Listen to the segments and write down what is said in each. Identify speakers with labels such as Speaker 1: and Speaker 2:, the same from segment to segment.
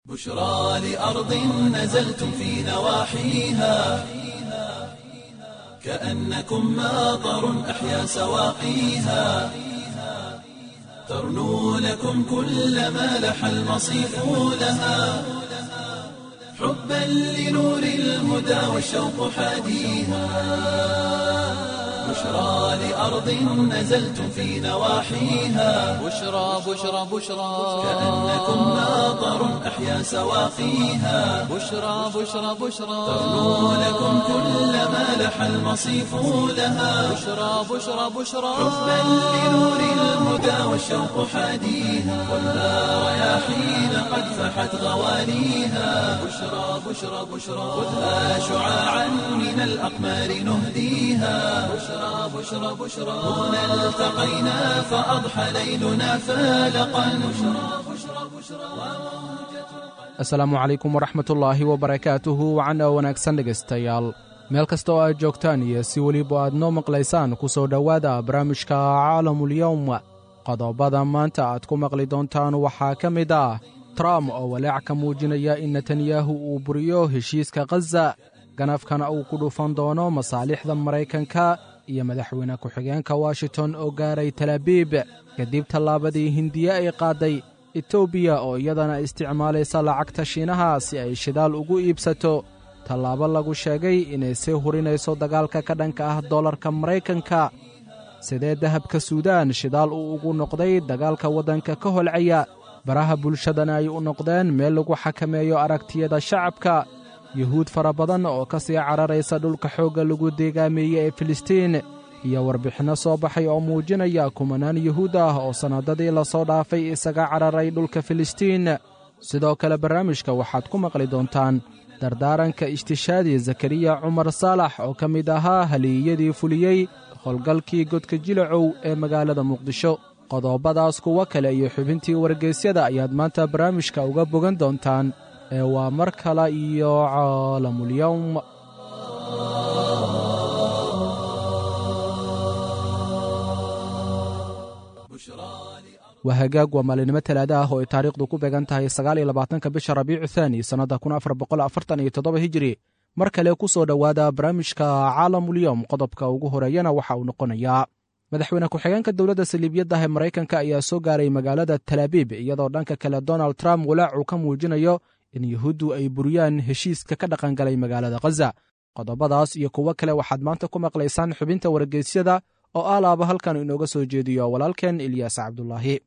Speaker 1: بشرى لأرض نزلتم في نواحيها كأنكم ماطر أحيا سواقيها ترنو لكم كل ما لح المصيف لها حبا لنور الهدى والشوق حاديها بشرى لأرض نزلتم في نواحيها
Speaker 2: بشرى بشرى بشرى
Speaker 1: كأنكم ماطر أحيا سواقيها
Speaker 2: بشرى بشرى بشرى
Speaker 1: ترنو لكم كل ما لح المصيف لها
Speaker 2: بشرى بشرى بشرى
Speaker 1: حبا لنور الهدى والشوق حاديها والنار يا حين قد فحت غواليها بشرى بشرى بشرى خذها شعاعا من الأقمار نهديها بشرى بشرى بشرى هنا التقينا فأضحى ليلنا فالقا بشرى بشرى بشرى.
Speaker 3: Asalaamu calaykum waraxmatullaahi wabarakaatuhu wacan oo wanaagsan dhegaystayaal meel kasta oo aad joogtaan iyo si weliba aad noo maqlaysaan ku soo dhowaada barnaamijka caalamulyowm. Qodobada maanta aad ku maqli doontaan waxaa ka mid ah Trump oo walaac ka muujinaya in Netanyahu uu buriyo heshiiska Khaza, ganafkana uu ku dhufan doono masaalixda Maraykanka, iyo madaxweyne ku-xigeenka Washington oo gaaray Talabiib kadib tallaabadii Hindiye ay qaadday, Etoobiya oo iyadana isticmaalaysa lacagta Shiinaha si ay shidaal ugu iibsato, tallaabo lagu sheegay inay sii hurinayso dagaalka ka dhanka ah dollarka Maraykanka. Sidee dahabka Suudaan shidaal uu ugu noqday dagaalka waddanka ka holcaya, baraha bulshadana ay u noqdeen meel lagu xakameeyo aragtiyada shacabka? Yuhuud fara badan oo ka sii cararaysa dhulka xoogga lagu deegaameeyey ee Filistiin, iyo warbixinno soo baxay oo muujinaya kumanaan yuhuud ah oo sannadadii lasoo dhaafay isaga cararay dhulka Filistiin. Sidoo kale barnaamijka waxaad ku maqli doontaan dardaaranka ishtishaadi Zakariya Cumar Saalax oo ka mid ahaa haliyadii fuliyey howlgalkii godka Jilacow ee magaalada Muqdisho. Qodobadaas, kuwo kale iyo xubintii wargeysyada ayaad maanta barnaamijka uga bogan doontaan ee waa mar kale iyo Caalamulyowm. Waa hagaag, waa maalinimo Talaada ah oo ay taariikhdu ku beegan tahay 29-ka bisha Rabiicu Thaani sannadda 1447 Hijiri. Mar kale ku soo dhowaada barnaamijka Caalamulyowm. Qodobka ugu horeeyana waxa uu noqonayaa madaxweyne ku-xigeenka dowladda saliibiyadda ee Maraykanka ayaa soo gaaray magaalada Talaabiib, iyadoo dhanka kale Donald Trump walaac uu ka muujinayo in Yuhuuddu ay buriyaan heshiiska ka dhaqangalay magaalada Khaza. Qodobadaas iyo kuwo kale waxaad maanta ku maqlaysaan xubinta wargeysyada oo alaaba halkan inooga soo jeediyo walaalkeen Ilyaas Cabdulaahi.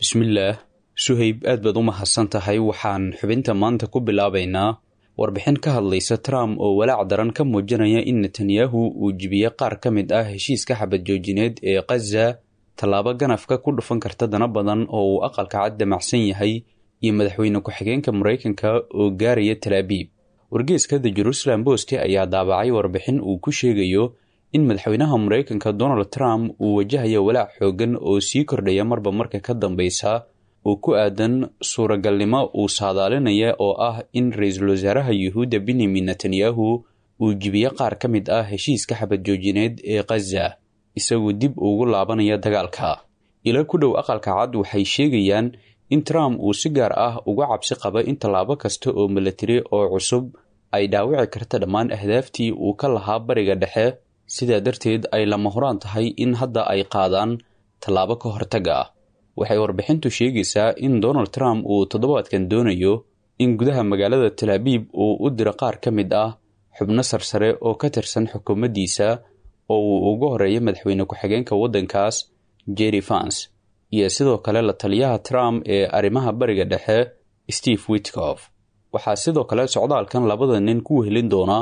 Speaker 4: Bismillaah Suhayb, aad baad u mahadsan tahay. Waxaan xubinta maanta ku bilaabaynaa warbixin ka hadlaysa Trump oo walaac daran ka muujinaya in Netanyahu uu jibiye qaar ka mid ah heshiiska xabad joojineed ee Khaza, tallaabo ganafka ku dhufan karta dana badan oo uu aqalka cad damacsan yahay, iyo madaxweyne ku-xigeenka Maraykanka oo gaaraya Talaabiib. Wargeeska The Jerusalem Post ayaa daabacay warbixin uu ku sheegayo in madaxweynaha Maraykanka Donald Trump uu wajahayo walaac xooggan oo sii kordhaya marba marka ka dambeysa oo ku aadan suuragalnimo uu saadaalinaya oo ah in ra-iisul wasaaraha Yuhuudda Benyamin Netanyahu uu jibiye qaar ka mid ah heshiiska xabad joojineed ee Khaza, isagoo dib ugu laabanaya dagaalka. Ilo ku dhow aqalka cad waxay sheegayaan in Trump uu si gaar ah uga cabsi qaba in tallaabo kasta oo milatari oo cusub ay dhaawici karta dhammaan ahdaaftii uu ka lahaa Bariga Dhexe, sidaa darteed ay lama huraan tahay in hadda ay qaadaan tallaabo ka hortag ah. Waxay warbixintu sheegaysaa in Donald Trump uu toddobaadkan doonayo in gudaha magaalada Talaabiib uu u diro qaar ka mid ah xubno sarsare oo ka tirsan xukuumaddiisa, oo uu ugu horeeyo madaxweyne ku-xigeenka waddankaas Jerry Vance iyo sidoo kale la taliyaha Trump ee arrimaha Bariga Dhexe Steve Witkoff. Waxaa sidoo kale socdaalkan labada nin ku wehelin doona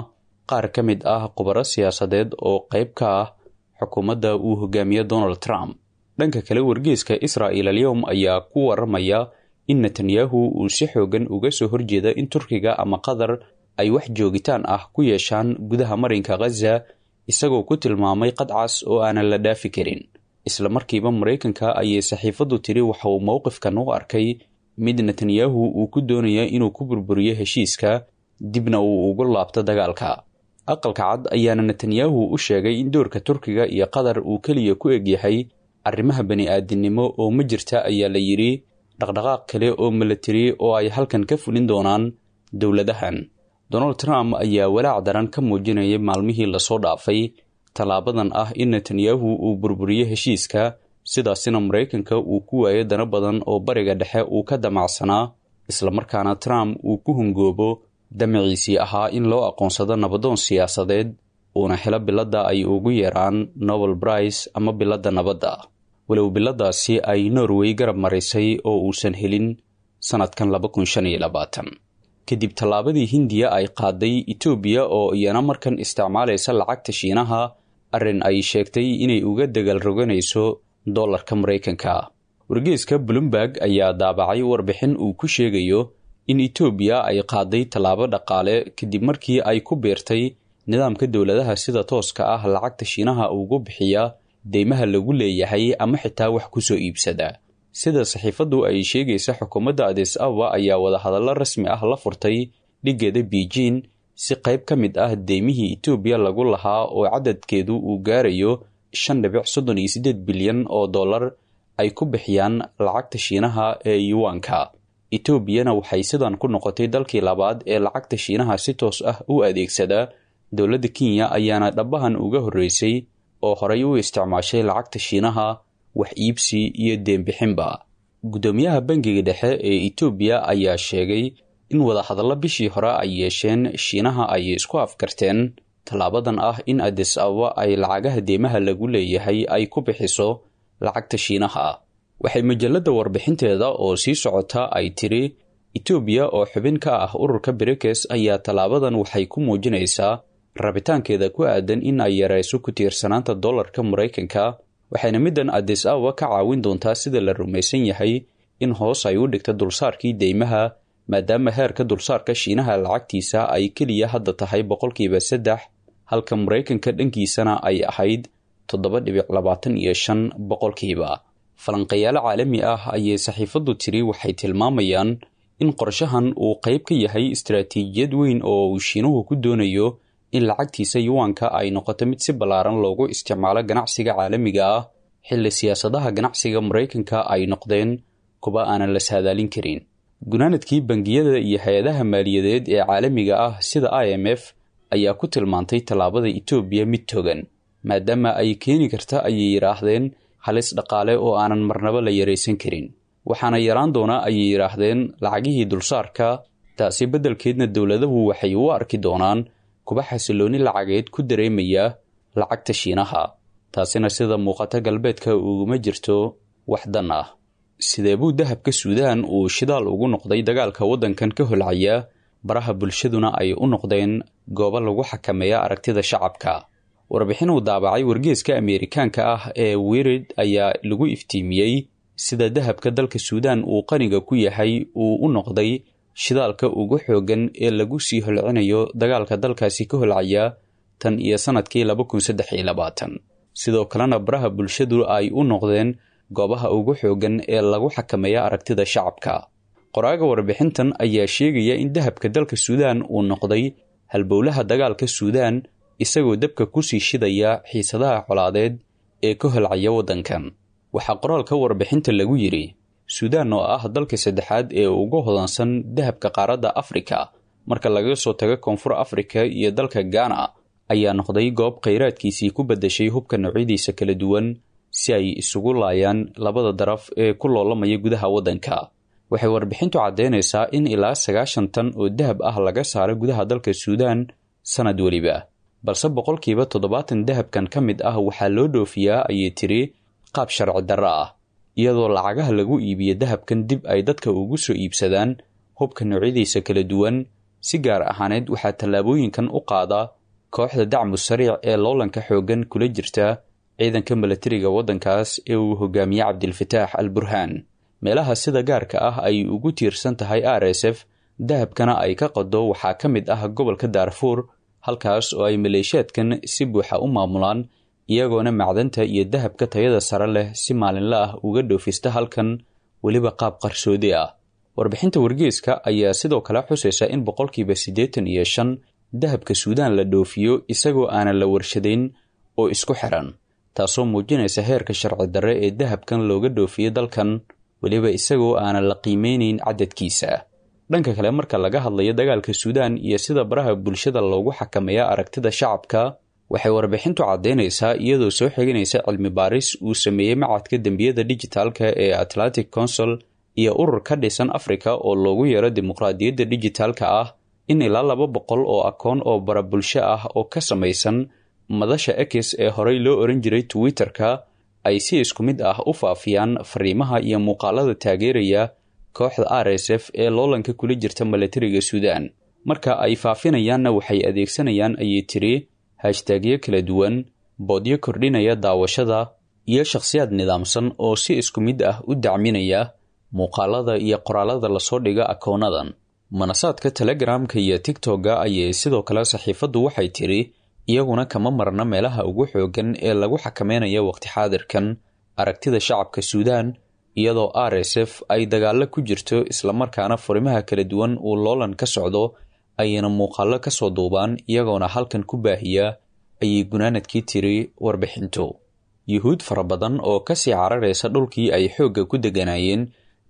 Speaker 4: qaar ka mid ah khubaro siyaasadeed oo qayb ka ah xukuumadda uu hogaamiyo Donald Trump. Dhanka kale, wargeeska Israa'il Alyowm ayaa ku waramaya in Netanyahu uu si xoogan uga soo horjeeda in Turkiga ama Qatar ay wax joogitaan ah ku yeeshaan gudaha marinka Khaza, isagoo ku tilmaamay qadcas oo aanan la dhaafi karin. Isla markiiba Maraykanka ayay saxiifaddu tiri waxa uu mowqifkan u arkay mid Netanyahu uu ku doonaya inuu ku burburiyo heshiiska, dibna uu ugu laabto dagaalka. Aqalka cad ayaana Netanyahu u sheegay in doorka Turkiga iyo Qatar uu keliya ku egyahay arrimaha bani-aadinimo oo ma jirta, ayaa la yidhi, dhaqdhaqaaq kale oo milatari oo ay halkan ka fulin doonaan dowladahan. Donald Trump ayaa walaac daran ka muujinayay maalmihii lasoo dhaafay tallaabadan ah in Netanyahu uu burburiyo heshiiska, sidaasina Maraykanka uu ku waayo dano badan oo Bariga Dhexe uu ka damacsanaa, islamarkaana Trump uu ku hungoobo damaciisii ahaa in loo aqoonsado nabadoon siyaasadeed, uuna helo biladda ay ugu yeeraan Nobel Prize ama biladda nabadda, walow biladaasi ay Norway garab marisay oo uusan helin sannadkan. Kadib tallaabadii Hindiya ay qaaday, Etoobiya oo iyana markan isticmaalaysa lacagta Shiinaha, arrin ay sheegtay inay uga dagaal roganayso dollarka Maraykanka. Wargeeska Bloomberg ayaa daabacay warbixin uu ku sheegayo in Etoobiya ay qaaday tallaabo dhaqaale kadib markii ay ku biirtay nidaamka dowladaha sida tooska ah lacagta Shiinaha ugu bixiya deymaha lagu leeyahay ama xitaa wax ku soo iibsada. Sida saxiifaddu ay sheegaysa, xukuumadda Adis Ababa ayaa wadahadallo rasmi ah la furtay dhiggeeda Beijing si qayb ka mid ah deymihii Etoobiya lagu lahaa oo cadadkeedu uu gaarayo 5.38 bilyan oo dollar ay ku bixiyaan lacagta Shiinaha ee yuwanka. Etoobiyana waxay sidan ku noqotay dalkii labaad ee lacagta Shiinaha si toos ah u adeegsada. Dowladda Kenya ayaana dhabahan uga horreysay oo horay u isticmaashay lacagta Shiinaha wax iibsi iyo deenbixinba. Guddoomiyaha bangiga dhexe ee Etoobiya ayaa sheegay in wadahadallo bishii hore ay yeesheen Shiinaha ay isku afkarteen tallaabadan ah in Adis Ababa ay lacagaha deemaha lagu leeyahay ay ku bixiso lacagta Shiinaha. Waxay majalladda warbixinteeda oo sii socota ay tiri, Etoobiya oo xubin ka ah ururka Brikes ayaa tallaabadan waxay ku muujinaysaa rabitaankeeda ku aadan in ay yareyso ku tiirsanaanta dollarka Maraykanka, waxayna middan Adis Ababa ka caawin doontaa, sida la rumaysan yahay, in hoos ay u dhigto dulsaarkii deymaha, maadaama heerka dulsaarka Shiinaha lacagtiisa ay keliya hadda tahay 3%, halka Maraykanka dhankiisana ay ahayd 7.25%. Falanqayaalo caalami ah ayay saxiifaddu tiri waxay tilmaamayaan in qorshahan uu qayb ka yahay istaraatiijiyad weyn oo uu Shiinuhu ku doonayo in lacagtiisa yuwanka ay noqoto mid si ballaaran loogu isticmaalo ganacsiga caalamiga ah, xilli siyaasadaha ganacsiga Maraykanka ay noqdeen kuwa aanan la saadaalin karin. Gunaanadkii, bangiyada iyo hay-adaha maaliyadeed ee caalamiga ah sida IMF ayaa ku tilmaantay tallaabada Etoobiya mid togan, maadaama ay keeni karta, ayay yidhaahdeen, halis dhaqaale oo aanan marnaba la yaraysan karin, waxaana yaraan doonaa, ayay yidhaahdeen, lacagihii dulsaarka. Taasi beddelkeedna dowladahu waxay u arki doonaan kuba xasilooni lacageed ku dareemaya lacagta Shiinaha, taasina sida muuqata galbeedka uguma jirto wax dan ah. Sidee buu dahabka Suudaan uu shidaal ugu noqday dagaalka waddankan ka holcaya, baraha bulshaduna ay u noqdeen goobo lagu xakameeya aragtida shacabka? Warbixin uu daabacay wargeeska Ameerikaanka ah ee Wirid ayaa lagu iftiimiyey sida dahabka dalka Suudaan uu qaniga ku yahay uu u noqday shidaalka ugu xooggan ee lagu sii holcinayo dagaalka dalkaasi ka holcaya tan iyo sannadkii. Sidoo kalena baraha bulshadu ay u noqdeen goobaha ugu xooggan ee lagu xakameeya aragtida shacabka. Qoraaga warbixintan ayaa sheegaya in dahabka dalka Suudaan uu noqday halbowlaha dagaalka Suudaan, isagoo dabka kusii shidaya xiisadaha colaadeed ee ka holcaya waddankan. Waxaa qoraalka warbixinta lagu yidhi, Suudaan oo ah dalka saddexaad ee ugu hodansan dahabka qaaradda Afrika marka laga soo tago Koonfur Afrika iyo dalka Gaana, ayaa noqday goob khayraadkiisii ku beddeshay hubka noocyadiisa kala duwan si ay isugu laayaan labada daraf ee ku loolamaya gudaha waddanka. Waxay warbixintu caddeynaysaa in ilaa 90 tan oo dahab ah laga saaro gudaha dalka Suudaan sanad weliba, balse 70% dahabkan ka mid ah waxaa loo dhoofiyaa, ayay tiri, qaab sharci darro ah, iyadoo lacagaha lagu iibiyo dahabkan dib ay dadka ugu soo iibsadaan hubka noocyadiisa kala duwan. Si gaar ahaaneed waxaa tallaabooyinkan u qaada kooxda Dacmu Sariic ee loolanka xooggan kula jirta ciidanka milatariga waddankaas ee uu hogaamiye Cabdilfataax al Burhaan. Meelaha sida gaarka ah ay ugu tiirsan tahay RSF dahabkana ay ka qado waxaa ka mid ah gobolka Daarfuur, halkaas oo ay maleeshiyaadkan si buuxa u maamulaan, iyagoona macdanta iyo dahabka tayada sare leh si maalinle ah uga dhoofista halkan, weliba qaab qarsoodi ah. Warbixinta wargeeska ayaa sidoo kale xusaysa in 85% dahabka Suudaan la dhoofiyo isagoo aanan la warshadayn oo isku xiran, taasoo muujinaysa heerka sharci darre ee dahabkan looga dhoofiyo dalkan. weliba isagoo aanan la qiimeynayn cadadkiisa. Dhanka kale, marka laga hadlayo dagaalka Suudaan iyo sida baraha bulshada loogu xakameeya aragtida shacabka, waxay warbixintu caddaynaysaa, iyadoo soo xiganaysa cilmi baaris uu sameeyey macadka dembiyada dijitaalka ee Atlantic Council iyo urur ka dhisan Afrika oo loogu yeero dimuqraadiyadda dijitaalka ah, in ilaa 200 oo akoon oo bara bulsho ah oo ka samaysan madasha X ee horey loo oran jiray Twitter-ka ay si isku mid ah u faafiyaan fariimaha iyo muuqaalada taageeraya kooxda RSF ee loolanka kula jirta milatariga Suudaan. Marka ay faafinayaanna waxay adeegsanayaan, ayay tiri, hashtagyo kala duwan, boodyo kordhinaya daawashada iyo shakhsiyaad nidaamsan oo si isku mid ah u dacminaya muuqaalada iyo qoraalada lasoo dhiga akoonadan. Manasaadka Telegramka iyo Tigtogga ayay sidoo kale saxiifaddu waxay tiri iyaguna kama marna meelaha ugu xooggan ee lagu xakameynayo waqti xaadirkan aragtida shacabka Suudaan, iyadoo RSF ay dagaallo ku jirto islamarkaana furimaha kala duwan uu loolan ka socdo, ayayna muuqaallo ka soo duubaan iyagoona halkan ku baahiya, ayay gunaanadkii tiri warbixintu. Yuhuud fara badan oo kasii cararaysa dhulkii ay xoogga ku degganaayeen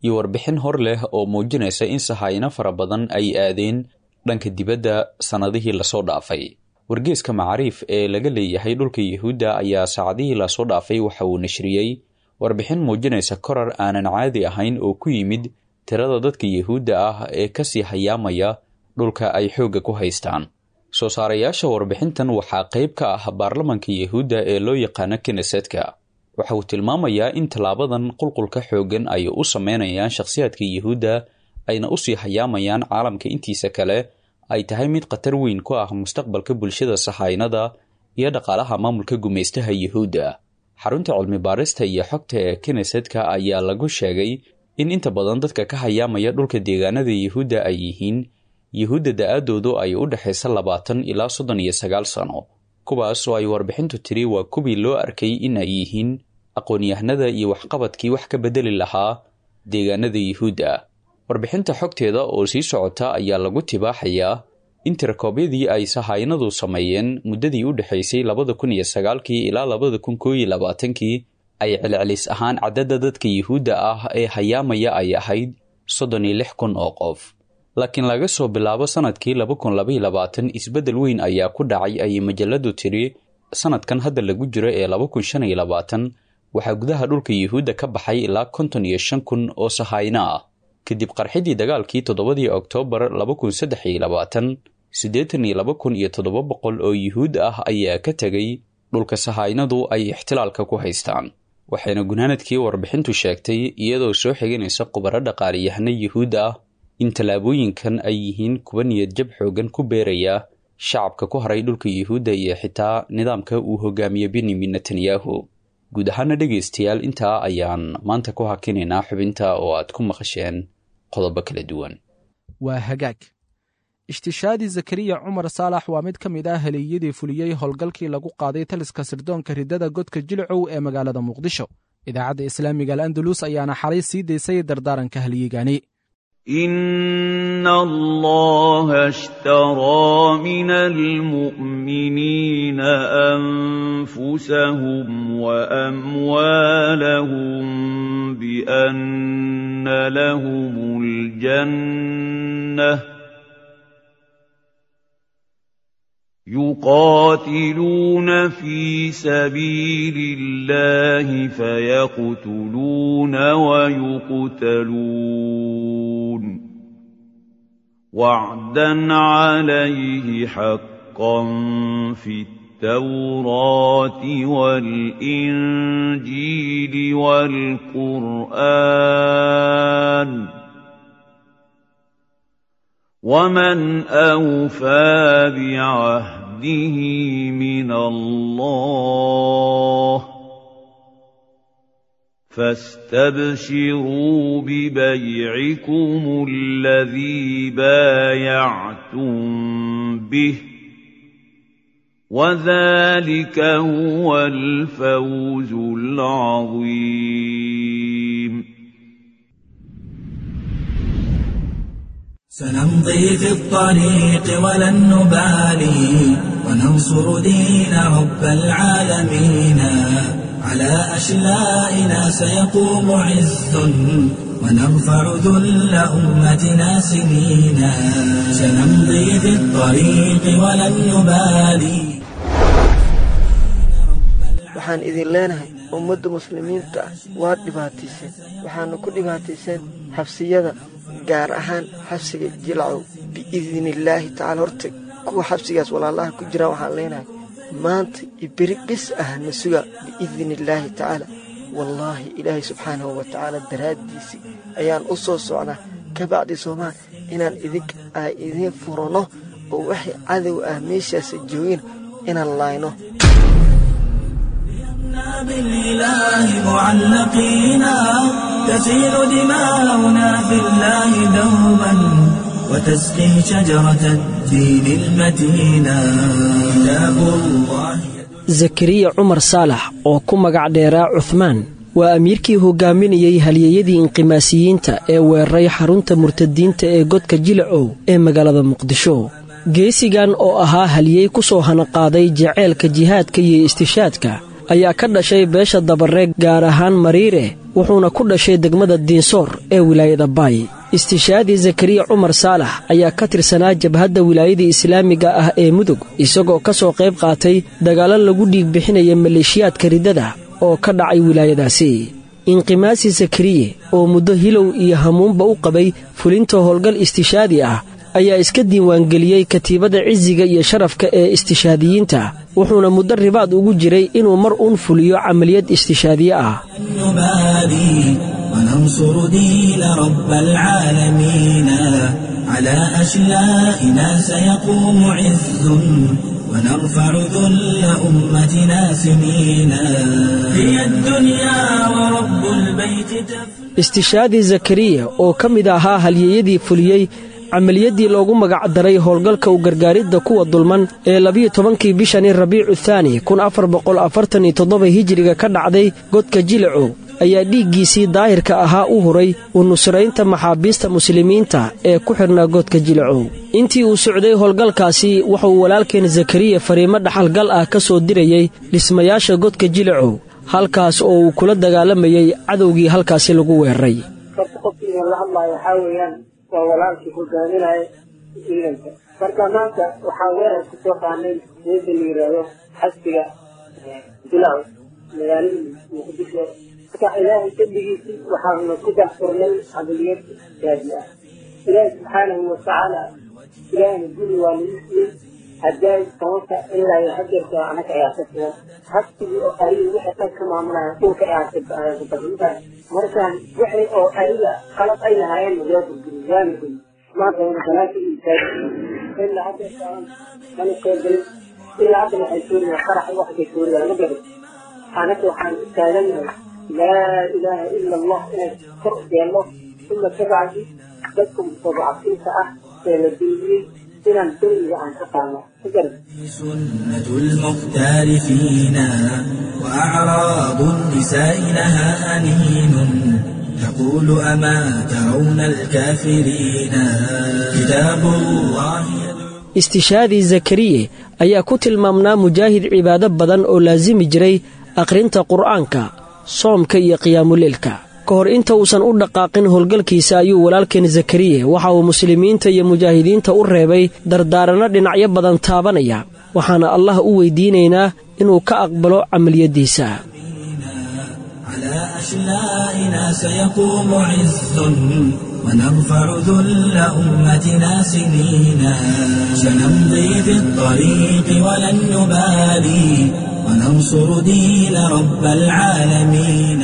Speaker 4: iyo warbixin hor leh oo muujinaysa in sahaayino fara badan ay aadeen dhanka dibadda sannadihii lasoo dhaafay. Wargeeska Macaariif ee laga leeyahay dhulka Yuhuudda ayaa saacadihii lasoo dhaafay waxa uu nashriyey warbixin muujinaysa korar aanan caadi ahayn oo ku yimid tirada dadka Yuhuudda ah ee kasii hayaamaya dhulka ay xoogga ku haystaan. Soo saarayaasha warbixintan waxaa qayb ka ah baarlamanka Yuhuudda ee loo yaqaano Knesetka. Waxa uu tilmaamayaa in tallaabadan qulqulka xooggan ay u sameynayaan shakhsiyaadka Yuhuudda ayna usii hayaamayaan caalamka intiisa kale ay tahay mid khatar weyn ku ah mustaqbalka bulshada sahaynada iyo dhaqaalaha maamulka gumaystaha Yuhuudda. Xarunta cilmi baarista iyo xogta ee Knesetka ayaa lagu sheegay in inta badan dadka ka hayaamaya dhulka deegaanada Yuhuudda ay yihiin Yuhuudda da-aadoodu ay u dhexaysa 20 ilaa 39 sano, kuwaas oo ay warbixintu tiri waa kuwii loo arkay in ay yihiin aqoon-yahanada iyo waxqabadkii wax ka bedeli lahaa deegaanada Yuhuudda. Warbixinta xogteeda oo sii socota ayaa lagu tibaaxayaa in tirakoobyadii ay sahaynadu sameeyeen muddadii u dhexaysay 2009kii ilaa 2021kii ay celcelis ahaan cadadda dadka Yuhuudda ah ee hayaamaya ay ahayd 36,000 oo qof, laakiin laga soo bilaabo sanadkii 2022 isbeddel weyn ayaa ku dhacay, ayay majaladu tiri. Sanadkan hadda lagu jiro ee 2025 waxaa gudaha dhulka Yuhuudda ka baxay ilaa 55,000 oo sahayno ah. Kadib qarxidii dagaalkii 7dii Oktoobar 2023, 82,700 oo Yuhuud ah ayaa ka tegay dhulka sahaynadu ay ixtilaalka ku haystaan. Waxayna gunaanadkii warbixintu sheegtay, iyadoo soo xiganaysa khubaro dhaqaaliyahano Yuhuud ah, in tallaabooyinkan ay yihiin kuwa niyadjab xoogan ku beeraya shacabka ku haray dhulka Yuhuudda iyo xitaa nidaamka uu hogaamiye Benyamin Netanyahu. Guud ahaana dhegaystayaal, intaa ayaan maanta ku hakinaynaa xubinta oo aad ku maqasheen qodobo kala duwan.
Speaker 3: Waa hagaag. Ishtishaadii Zakariya Cumar Saalax waa mid ka mid ah haleeyadii fuliyey howlgalkii lagu qaaday taliska sirdoonka riddada godka Jilcow ee magaalada Muqdisho. Idaacadda Islaamiga Al Andalus ayaana xalay sii daysay dardaaranka halyeygani.
Speaker 5: إن الله اشترى من المؤمنين أنفسهم وأموالهم بأن لهم الجنة يقاتلون في سبيل الله فيقتلون ويقتلون وعدا عليه حقا في التوراة والإنجيل والقرآن ومن أوفى بعهده من الله فاستبشروا ببيعكم الذي بايعتم به وذلك هو الفوز العظيم.
Speaker 6: سنمضي في الطريق ولن نبالي وننصر دين رب العالمين. على أشلائنا سيقوم عز ونرفع ذل أمتنا سنينا سنمضي في الطريق ولن نبالي.
Speaker 7: Waxaan idin leenahay ummadda muslimiinta ah waad dhibaatayseen, waxaana ku dhibaatayseen xabsiyada, gaar ahaan xabsiga Jilcow. Biidnillaahi tacaala horta kuwa xabsigaas walaalaha ku jiraan waxaan leenahay maanta iyo beri bis ah na suga biidnillaahi tacaala. Wallaahi ilaahay subxaanahu wa tacaala daraaddiisii ayaan u soo socnaa ka bacdi soomaal inaan idink ay idiin furano oo waxay cadow ah meeshaasa joogin inaan laayno.
Speaker 6: بالإله معلقينا تسيل دماؤنا في الله دوما وتسقي شجرة الدين المتينا كتاب الله.
Speaker 8: Zakariya Cumar Saalax oo ku magac dheeraa Cuthmaan waa amiirkii hogaaminayey halyeeyadii inqimaasiyiinta ee weeraray xarunta murtadiinta ee godka Jilacow ee magaalada Muqdisho. Geesigan oo ahaa halyey ku soo hanaqaaday jaceylka jihaadka iyo istishaadka ayaa ka dhashay beesha Dabaree, gaar ahaan Mariire, wuxuuna ku dhashay degmada Diinsoor ee wilaayada Baay. Istishaadii Zakariya Cumar Saalax ayaa ka tirsanaa jabhadda wilaayada islaamiga ah ee Mudug, isagoo ka soo qayb qaatay dagaallo lagu dhiig bixinaya maleeshiyaadka riddada oo ka dhacay wilaayadaasi. Inqimaasi Zakariye oo muddo hilow iyo hamuunba u qabay fulinta howlgal istishaadi ah ayaa iska diiwaangeliyey katiibada cisiga iyo sharafka ee istishaadiyiinta, wuxuuna muddo ribaad ugu jiray inuu mar uun fuliyo camaliyad istishaadiye ah.
Speaker 6: نبالي وننصر دين رب العالمين على أشلائنا سيقوم عز ونرفع ذل أمتنا سنينا هي الدنيا ورب البيت تفنى.
Speaker 8: Istishaadii Zakariya oo ka mid ahaa halyeeyadii fuliyey camaliyadii loogu magacdaray howlgalka u gargaaridda kuwa dulman ee 12-kii bishani Rabiicu Thaani 1447 hijiriga ka dhacday godka Jilacow ayaa dhiiggiisii daahirka ahaa u huray u nusraynta maxaabiista muslimiinta ee ku xidhnaa godka Jilacow. Intii uu socday howlgalkaasi wuxuu walaalkeen Zakariya fariimo dhaxalgal ah ka soo dirayey dhismayaasha godka Jilacow, halkaas oo uu kula dagaalamayey cadowgii halkaasi lagu weeraray.
Speaker 9: Horta qofkii idin la hadlaayo waxaa weeyaan waa walaalkii hogaaminaya ciidanka. Marka maanta waxaa weerar ku soo qaanay meesha la yidhaahdo xasbiga Jilacow, magaalada Muqdisho. Marka ilaahay dembigiisii waxaanu ku dahfurnay camaliyad gaadi ah. Ilaahay subxaanahu watacaala ilaahayna guri waa nagu siiyey haddaay 10-ka ilaa iyo hajarka anaka ayaa ka sugan xabsigii oo ariga wixii dhan ka maamulaya dhulka ayaa ka badintahay. Markaan wixii oo ariga qalab ay lahaayeen waa burburin, waana goyn. Maanta wana banaanka u istaagay ilaa hajarka mana soo gelin. Ilaa hadda waxay suuriyaan qarax waxbay suuriyaan ma garan. Anaka waxaan u taagannahay laa ilaaha ila allah inay kor u yeelno, uma kabacdi dadka mustadcafiinta ah ee la duuliyey inaan dulmiga aan ka qaadno ma garan.
Speaker 6: سنة المختار فينا وأعراض النساء لها أنين تقول أما ترون الكافرين كتاب الله يدعو.
Speaker 8: Istishaadii Zakariye ayaa ku tilmaamnaa mujaahid cibaado badan oo laasimi jiray akhrinta Qur'aanka, soomka iyo qiyaamuleylka. Ka hor inta uusan u dhaqaaqin howlgalkiisa ayuu walaalkeen Zakariye waxa uu muslimiinta iyo mujaahidiinta u reebay dardaaranno dhinacyo badan taabanaya, waxaana Allah u weydiinaynaa inuu ka aqbalo camaliyaddiisa.
Speaker 6: على أشلائنا سيقوم عز ونرفع ذل أمتنا سنينا سنمضي في الطريق ولن نبالي وننصر دين رب العالمين.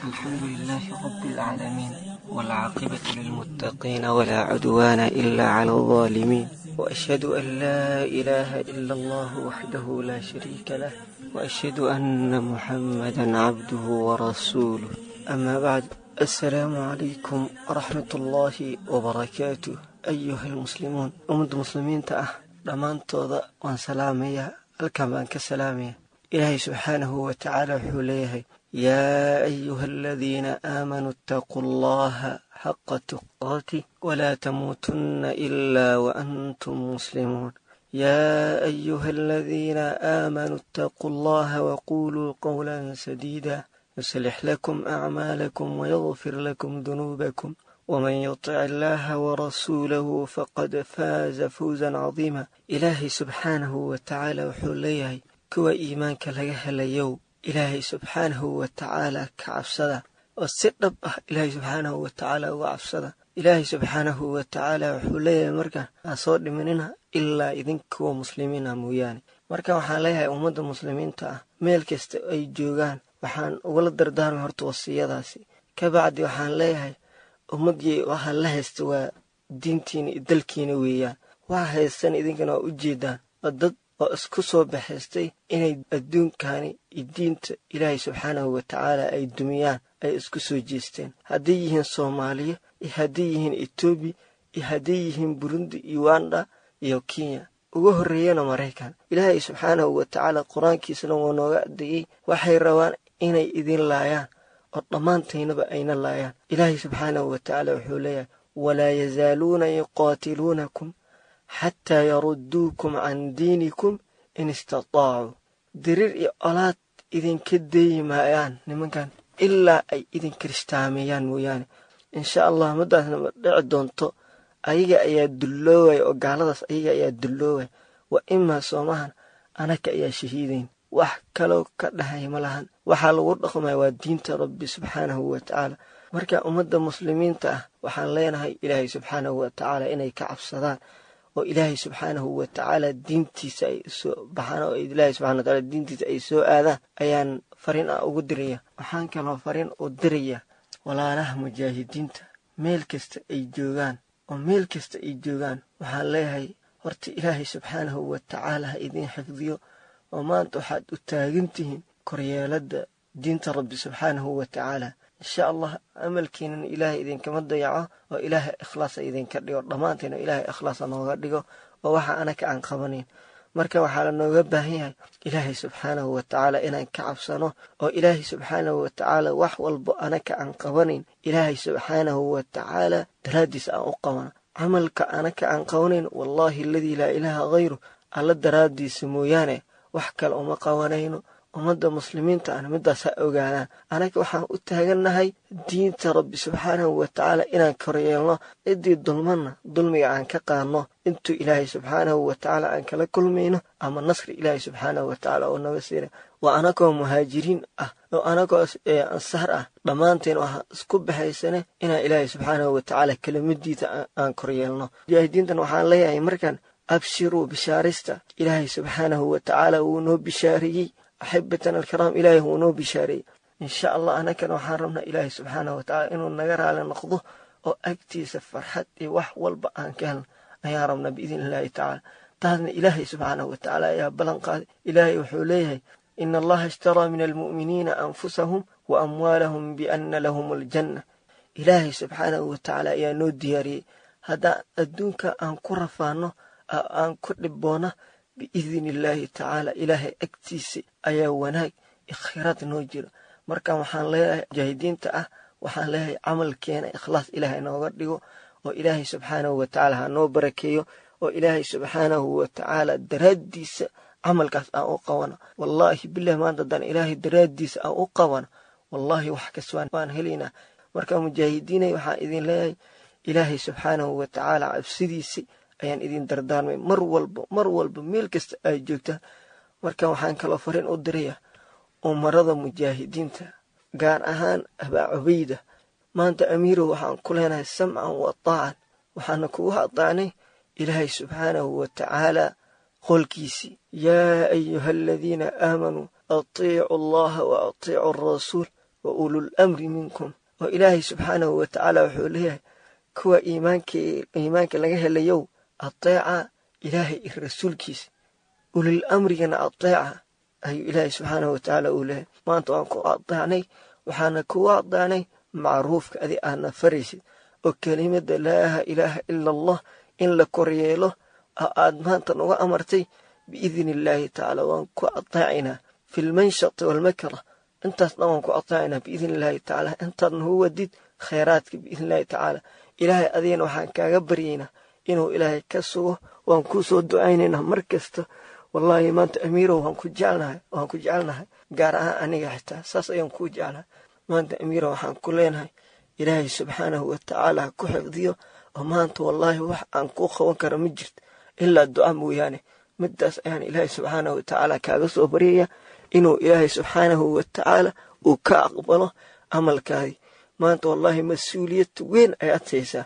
Speaker 7: الحمد لله رب العالمين، والعاقبة للمتقين، ولا عدوان إلا على الظالمين، وأشهد أن لا إله إلا الله وحده لا شريك له، وأشهد أن محمدا عبده ورسوله. أما بعد، السلام عليكم ورحمة الله وبركاته. أيها المسلمون، أمد المسلمين تأه dhammaantooda waan salaamayaa, halkan baan ka salaamaya. Ilaahay subxaanahu wa tacaala wuxuu leeyahay: yaa ayuha aladiina aamanuu ittaquu allaha xaqa tuqaatih walaa tamuutunna ilaa wa antum muslimuun. يا أيها الذين آمنوا اتقوا الله وقولوا قولا سديدا يصلح لكم أعمالكم ويغفر لكم ذنوبكم ومن يطع الله ورسوله فقد فاز فوزا عظيما. إلهي سبحانه وتعالى وحوليه كوا إيمانك لغا هليو إلهي سبحانه وتعالى كعبسدا وسدب إلهي سبحانه وتعالى وعبسدا إلهي سبحانه وتعالى وحوليه مركا أصور مننا إلا إذن كوا مسلمين موياني. marka waxaan leeyahay ummadda muslimiinta ah meel kasta ay joogaan waxaan ugula dardaarmay horta wasiyadaasi. Kabacdi waxaan leeyahay ummadii waxaa la haysta waa diintiina iyo dalkiina weeyaan. Waxa haystan idinkana waa u jeedaan waa dad oo isku soo baxaystay inay adduunkani iyo diinta Ilaahay subxaanahu wa tacaala ay dumiyaan ay isku soo jeesteen. Hadday yihiin Soomaaliya iyo hadday yihiin Etoobiya iyo hadday yihiin Burundi, Uganda iyo Kenya, ugu horreeyana Maraykan. Ilaahay subxaanahu wa tacaala qur-aankiisana wuu nooga adeeyey. Waxay rabaan inay idin laayaan oo dhammaantaynaba ayna laayaan. Ilaahay subxaanahu wa tacaala wuxuu leeyahay walaa yazaaluuna yuqaatiluunakum xataa yarudduukum can diinikum in istataacuu. Diriir iyo olaad idinka deeyi maayaan nimankan ilaa ay idin kiristaameeyaan mooyaane. Insha allah muddaasna ma dhici doonto. Ayaga ayaa dulloowaya oo gaaladaas ayaga ayaa dulloowaya. Wa imaa soomahan anaka ayaa shahiidayn, wax kaloo ka dhahay ma lahan. Waxaa lagu dhaqmaya waa diinta Rabbi subxaanahu wa tacaala. Marka ummadda muslimiinta ah waxaan leenahay Ilaahay subxaanahu wa tacaala inay ka cabsadaan oo Ilaahay subxaanahu wa tacaala diintiisa ay soo baxaan oo Ilaahay subxaanahu wa tacaala diintiisa ay soo aadaan ayaan fariin ah ugu diraya. Waxaan kaloo fariin u diraya walaalaha mujaahidiinta meel kasta ay joogaan oo meel kasta ay joogaan. Waxaan leeyahay horta Ilaahay subxaanahu wa tacaala ha idin xifdiyo oo maanta waxaad u taagan tihiin koryeeladda diinta Rabbi subxaanahu wa tacaala. Insha allah amalkiinan Ilaahay idinkama dayaco oo Ilaahay ikhlaasa idinka dhigo, dhammaanteena Ilaahay ikhlaasa nooga dhigo oo waxa anaka aan qabanayn. Marka waxaa la nooga baahan yahay Ilaahay subxaanahu wa tacaala inaan ka cabsano oo Ilaahay subxaanahu wa tacaala wax walbo anaka aan qabanayn Ilaahay subxaanahu wa tacaala daraaddiis aan u qabano. Camalka anaka aan qabanayn wallaahi alladii laa ilaaha hayru alla daraaddiisa mooyaane wax kale uma qabanayno. Ummadda muslimiinta ahna midaas ha ogaadaan. Anaga waxaan u taagannahay diinta Rabbi subxaanahu wa tacaala inaan koryeelno, ciddii dulmanna dulmiga aan ka qaadno intuu Ilaahay subxaanahu wa tacaala aan kala kulmayno ama nasri Ilaahay subxaanahu wa tacaala oo naga siina. Waa anagoo muhaajiriin ah oo anagoo ansaar ah dhammaanteen waxaan isku baxaysane inaan Ilaahay subxaanahu wa tacaala kelimadiisa aan koryeelno. Mujaahidiintan waxaan leeyahay markan abshiruu bishaarista. Ilaahay subxaanahu wa tacaala wuu noo bishaariyey. Axibatan alkiraam, Ilaahay wuu noo bishaariyey. Insha allah anakana waxaan rabnaa Ilaahay subxaanahu wa tacaala inuu naga raali noqdo oo agtiisa farxad iyo wax walba aan ka helno ayaan rabnaa biidni illaahi tacaala. Taasna Ilaahay subxaanahu wa tacaala ayaa ballan qaaday. Ilaahay wuxuu leeyahay ina allaha ishtaraa min almu'miniina anfusahum wa amwaalahum bianna lahum aljanna. Ilaahay subxaanahu wa tacaala ayaa noo diyaariyey haddaan adduunka aan ku rafaano aan ku dhiboona biidni illaahi tacaala Ilaahay agtiisa ayaa wanaag iyo khayraad noo jiro. Marka waxaan leeyahay mujaahidiinta ah waxaan leeyahay camalkeena ikhlaas Ilaahay nooga dhigo oo Ilaahay subxaanahu wa tacaala ha noo barakeeyo oo Ilaahay subxaanahu wa tacaala daraaddiisa camalkaas aan u qabano. Wallaahi billahi maanta haddaan Ilaahay daraaddiisa aan u qabano wallaahi wax kasta waan helaynaa. Marka mujaahidiinay waxaan idin leeyahay Ilaahay subxaanahu wa tacaala cabsidiisa ayaan idin dardaarmay mar walba mar walba meel kasta ay joogtaan. Marka waxaan kaloo fariin u diraya umarada mujaahidiinta gaar ahaan Abaa Cubayda. Maanta amiirow waxaan ku leenahay samcan wa taacan, waxaana kugu adaacnay Ilaahay subxaanahu wa tacaala qolkiisii yaa ayuha aladiina aamanuu atiicu allaha wa atiicu alrasuul wa ulul amri minkum. Oo Ilaahay subxaanahu wa tacaala wuxuu leeyahay kuwa iimaanka laga helayow ateeca Ilaahay iyo rasuulkiisa, ulil amrigana ateeca ayuu Ilaahay subxaanahu wa tacaala uu leeyahay. Maanta waan ku adeecnay, waxaana kugu adeecnay macruufka adi aadna faraysid oo kelimada laa ilaaha ila allah in la koryeelo oo aad maanta nuga amartay biidni illaahi tacaala. Waan ku adeecaynaa fi lmanshati waalmakra, intaas dhan waan ku adeecaynaa biidni illaahi tacaala. Intaad nagu wadid khayraadka biidni illaahi tacaala. Ilaahay adigana waxaan kaaga baryaynaa inuu ilaahay ka sugo. Waan kuu soo ducaynaynaa mar kasta. Wallaahi maanta amiirow waan ku jecelnahay, waan ku jecelnahay, gaar ahaan aniga xitaa saas ayaan kuu jeclahay. Maanta amiirow waxaan ku leenahay ilaahay subxaanahu watacaala ha ku xifdiyo. Oo maanta wallaahi wax aan kuu qaban karo ma jirto ilaa duca mooyaane. Midaas ayaan ilaahay subxaanahu watacaala kaaga soo baryaya inuu ilaahay subxaanahu watacaala uu ka aqbalo camalkaadii. Maanta wallaahi mas-uuliyad weyn ayaad haysaa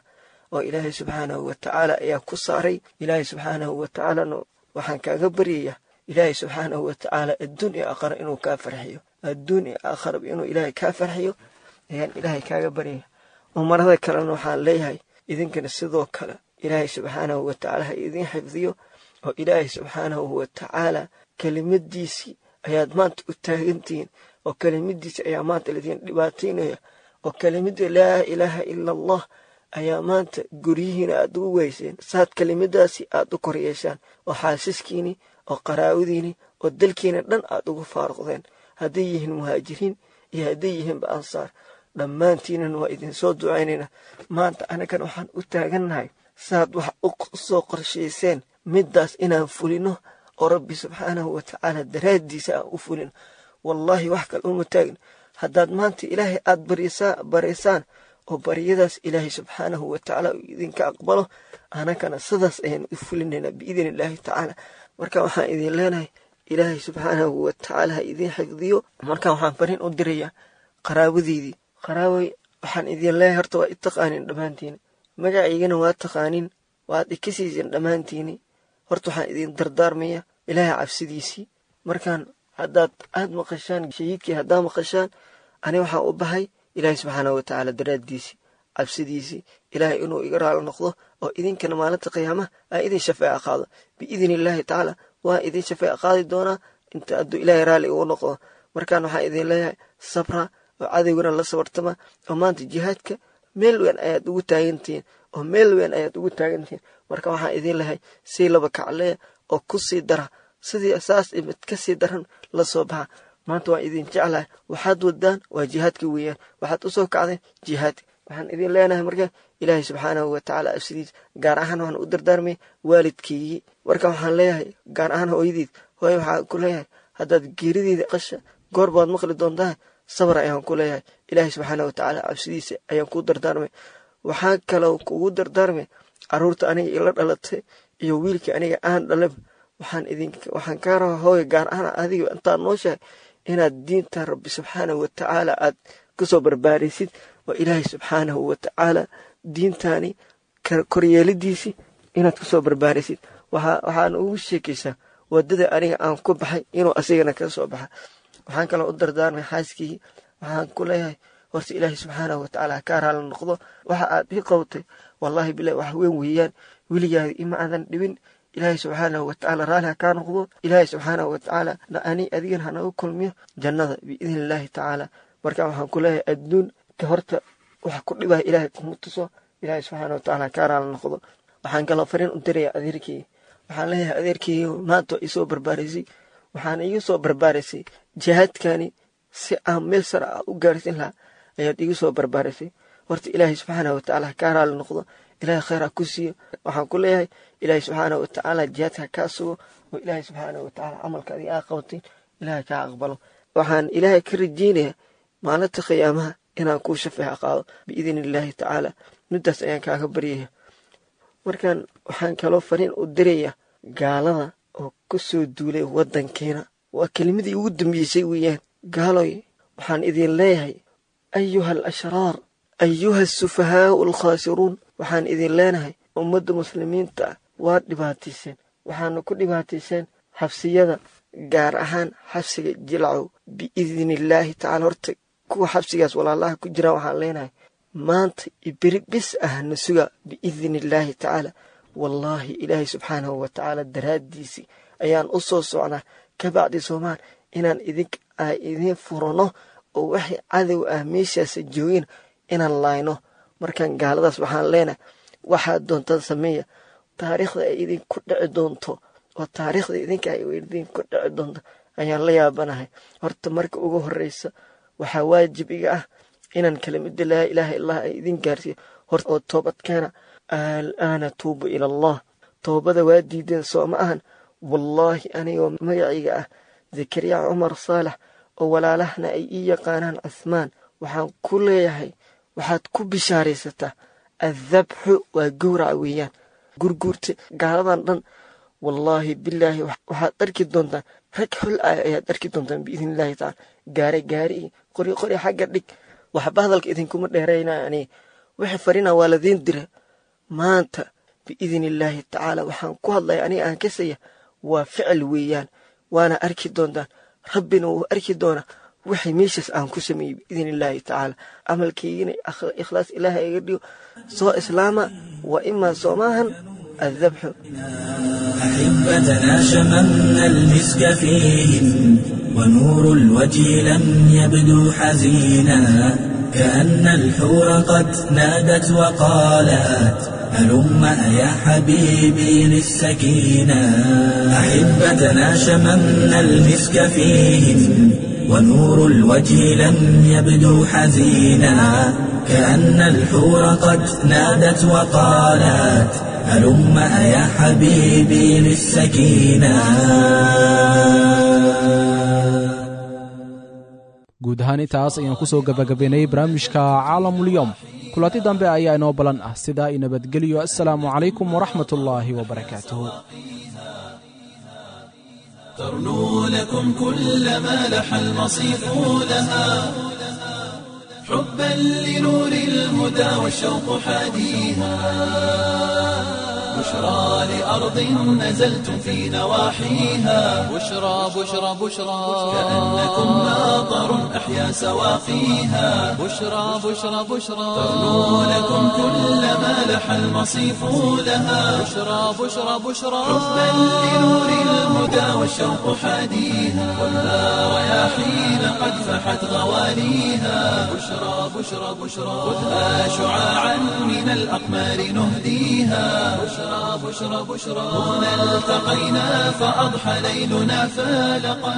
Speaker 7: oo ilaahay subxaanahu watacaala ayaa ku saaray. Ilaahay subxaanahu watacaalana waxaan kaaga baryayaa ilaahay subxaanahu watacaala adduun iyo aakhara inuu kaa farxiyo, adduun iyo aakharaba inuu ilaahay kaa farxiyo ayaan ilaahay kaaga baryaya. Umarada kalena waxaan leeyahay idinkana sidoo kale ilaahay subxaanahu watacaala ha idin xifdiyo oo ilaahay subxaanahu watacaala kelimadiisii ayaad maanta u taagantihiin oo kelimadiisi ayaa maanta laidin dhibaataynaya oo kelimada laa ilaaha ila allah ayaa maanta guryihiina aad ugu weyseen. Saad kelimadaasi aad u koryeeshaan oo xaasiskiini oo qaraawadiini oo dalkiina dhan aad ugu faaruqdeen, hadday yihiin muhaajiriin iyo hadday yihiinba ansaar, dhammaantiinan waa idinsoo ducaynaynaa. Maanta anagan waxaan u taagannahay saad wax u soo qorshayseen middaas inaan fulino oo rabbi subxaanahu watacaala daraaddiisa aan u fulino. Wallaahi wax kale uma taagin. Haddaad maanta ilaahay aad baraysaan oo baryadaas ilaahay subxaanahu watacaala uu idinka aqbalo, anakana sidaas ayaan u fulinaynaa biidni illaahi tacaala. Marka waxaan idin leenahay ilaahay subxaanahu watacaala ha idin xifdiyo. Marka waxaan fariin u dirayaa qaraabadeydii. Qaraabay waxaan idin leeyahay horta waa i taqaanin dhammaantiina, magacaygana waa taqaanin, waad ikasiisin dhammaantiini. Horta waxaan idin dardaarmaya ilaahay cabsidiisii. Markaan haddaad aad maqashaan shahiidkii haddaad maqashaan, ani waxaan u bahay ilaahay subxaanahu watacaala daraaddiisii, cabsidiisii, ilaahay inuu iga raali noqdo oo idinkana maalinta qiyaamaha aan idin shafeeca qaado biidni illaahi tacaala. Waan idin shafeeca qaadi doonaa inta hadduu ilaahay raalli igu noqdo. Markaan waxaan idin leeyahay sabra oo cadowgana la sabartama oo maanta jihaadka meel weyn ayaad ugu taagantihiin oo meel weyn ayaad ugu taagantihiin. Marka waxaan idin lehay sii laba kacleeya oo ku sii dara, sidii saas mid ka sii daran la soo baxa. Maanta waan idin jeclahay. Waxaad wadaan waa jihaadka weeyaan, waxaad u soo kacdeen jihaadka. Waxaan idin leenahay marka ilaahay subxaanahu watacaala absidiis. Gaar ahaan waxaan u dardaarmay waalidkeygii. Marka waxaan leeyahay gaar ahaan hooyadeyd, hooyo waxaan ku leeyahay haddaad geerideeda qasha goor baad maqli doontaa, sabar ayaan ku leeyahay. Ilaahay subxaanahu watacaala cabsidiisa ayaan ku dardaarmay. Waxaan kaloo kugu dardaarmay caruurta aniga ila dhalatay iyo wiilkii aniga aan dhalaba. Waxaan kaa rabaa hooyo gaar ahaan adiga intaad nooshahay inaad diinta rabbi subxaanahu watacaala aad kasoo barbaaraysid oo ilaahay subxaanahu watacaala diintaani koryeelidiisii inaad kasoo barbaaraysid. Waxaan ugu sheekaysaa wadada aniga aan ku baxay inuu asigana ka soo baxa. Waxaan kaloo u dardaarmay xaaskii. Waxaan ku leeyahay horta ilaahay subxaanahu watacaala ha kaa raali noqdo. Waxa aad ii qabtay wallaahi bilahi wax weyn weeyaan, weligaada ima aadan dhibin. Ilaahay subxaanahu watacaala raali ha kaa noqdo. Ilaahay subxaanahu watacaala ani adigana hanagu kulmiyo jannada biidni illaahi tacaala. Marka waxaan ku leeyahay adduun ka horta wax ku dhibaya ilaahay kuma tuso. Ilaahay subxaanahu watacaala ha kaa raali noqdo. Waxaan kaloo fariin u dirayaa adeerkii. Waxaan leeyahay adeerkii maanta waa isoo barbaaraysay, waxaana iga soo barbaaraysay jihaadkani si aan meel sare ah u gaarsiin lahaa ayaad iga soo barbaaraysay. Horta ilaahay subxaanahu watacaala ha kaa raali noqdo, ilaahay khayr ha ku siiyo. Waxaan ku leeyahay ilaahay subxaanahu watacaala jihaadka ha kaa sugo oo ilaahay subxaanahu watacaala camalka adiga aa qabatay ilaahay kaa aqbalo. Waxaan ilaahay ka rajeynayaa maalinta qiyaamaha inaan kuu shafeeca qaado biidni illaahi tacaala. Midaas ayaan kaaga baryaya. Markaan waxaan kaloo fariin u dirayaa gaalada oo ku soo duulay waddankeena. Waa kelimadii ugu dambeysay weeyaan. Gaaloy waxaan idin leeyahay ayuha al ashraar, ayuha asufahaau alkhaasiruun. Waxaan idin leenahay ummadda muslimiinta ah waad dhibaatayseen, waxaana ku dhibaatayseen xabsiyada, gaar ahaan xabsiga Jilcow biidni illaahi tacala. Horta kuwa xabsigaas walaalaha ku jiraan waxaan leenahay maanta beri bis ah na suga biidni illaahi tacaala. Wallaahi ilaahay subxaanahu watacaala daraaddiisii ayaan u soo socnaa kabacdi soomaan inaan idiin furano oo waxay cadow ah meeshaas joogin inaan laayno. Markaan gaaladaas waxaan leenahay waxaad doontaan sameeya, taariikhda ay idinku dhici doonto oo taariikhda idinka ay idinku dhici doonto ayaan la yaabanahay. Horta marka ugu horeysa waxaa waajib iga ah inaan kelimada laa ilaaha illallah ay idin gaarsiiyo horta oo toobad keena. Alaana tuubu ila allah, toobada waa diideen soo ma ahan. Wallaahi anigoo magacayga ah Zakariya Cumar Saalax oo walaalahna ay ii yaqaanaan Cuhmaan, waxaan ku leeyahay waxaad ku bishaaraysataa addabxu waa gowraca weeyaan. Gurguurta gaaladan dhan wallaahi bilaahi waxaad arki doontaan rag xul ah ayaad arki doontaan biidni illaahi tacaala. Gaare gaari iyo qori qori xagga dhig, waxba hadalka idinkuma dheeraynaya aniga. Wixii farina waa ladiin dira maanta biidni illaahi tacaala. Waxaan ku hadlaya aniga aan kasaya waa ficil weeyaan, waana arki doontaan, rabbina wuu arki doonaa wixii meeshaas aan ku sameeyey biidni illaahi tacaala. Camalkaygina ikhlaas ilaahay iga dhigo. Soo islaama waa imaa soomaahan addabxu.
Speaker 6: أحبتنا شممنا المسك فيهم ونور الوجه لم يبدو حزينا، كأن الحور قد نادت وقالت هلم يا حبيبي للسكينة. أحبتنا شممنا المسك فيهم ونور الوجه لم يبدو حزينا، كأن الحور قد نادت وقالت هلم يا حبيبي للسكينة.
Speaker 3: Guud ahaan intaas ayaan ku soo gabagabaynay barnaamijka Caalamulyoom. Kulanti dambe ayaa inoo balan ah, sidaa i nabadgeliyo. Assalaamu calaykum waraxmat ullaahi wabarakaatuhu.
Speaker 1: ترنو لكم كل ما لح المصيف لها حبا لنور الهدى والشوق حاديها، بشرى لأرض نزلتم في نواحيها
Speaker 2: بشرى بشرى بشرى،
Speaker 1: كأنكم ماطر أحيا سواقيها
Speaker 2: بشرى بشرى بشرى،
Speaker 1: ترنو لكم كل ما لح المصيف لها
Speaker 2: بشرى بشرى بشرى،
Speaker 1: حبا لنور الهدى والشوق حاديها، والها رياحين قد فحت غواليها، بشرى بشرى بشرى، خذها شعاعا من الأقمار نهديها، بشرى بشرى بشرى، هنا التقينا فأضحى ليلنا فالقا.